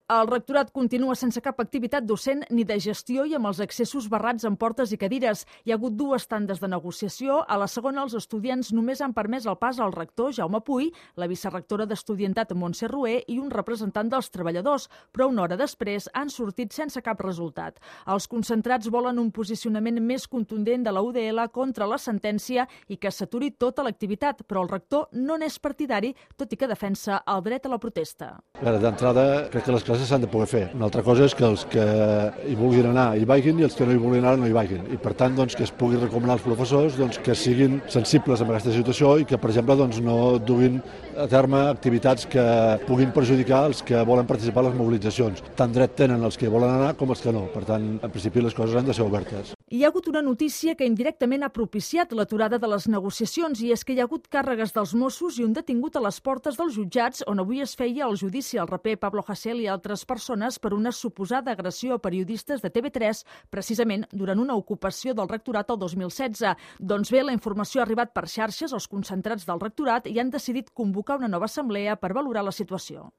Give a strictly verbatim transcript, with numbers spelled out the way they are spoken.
El rectorat continua sense cap activitat docent ni de gestió i amb els accessos barrats amb portes i cadires. Hi ha hagut dues tandes de negociació. A la segona, els estudiants només han permès el pas al rector, Jaume Puy, la vicerectora d'Estudiantat, Montse Rué, i un representant dels treballadors, però una hora després han sortit sense cap resultat. Els concentrats volen un posicionament més contundent de la U D L contra la sentència i que s'aturi tota l'activitat, però el rector no n'és partidari, tot i que defensa el dret a la protesta. D'entrada, crec que les classes s'han de poder fer. Una altra cosa és que els que hi vulguin anar hi vagin i els que no hi vulguin anar no hi vagin. I per tant, doncs, que es pugui recomanar als professors doncs, que siguin sensibles amb aquesta situació i que, per exemple, doncs, no duguin a terme activitats que puguin perjudicar els que volen participar a les mobilitzacions. Tant dret tenen els que hi volen anar com els que no. Per tant, en principi, les coses han de ser obertes. Hi ha hagut una notícia que indirectament ha propiciat l'aturada de les negociacions i és que hi ha hagut càrregues dels Mossos i un detingut a les portes dels jutjats on avui es feia el judici al raper Pablo Hasél i altres persones per una suposada agressió a periodistes de T V tres, precisament durant una ocupació del rectorat el dos mil setze. Doncs bé, la informació ha arribat per xarxes als concentrats del rectorat i han decidit convocar una nova assemblea per valorar la situació.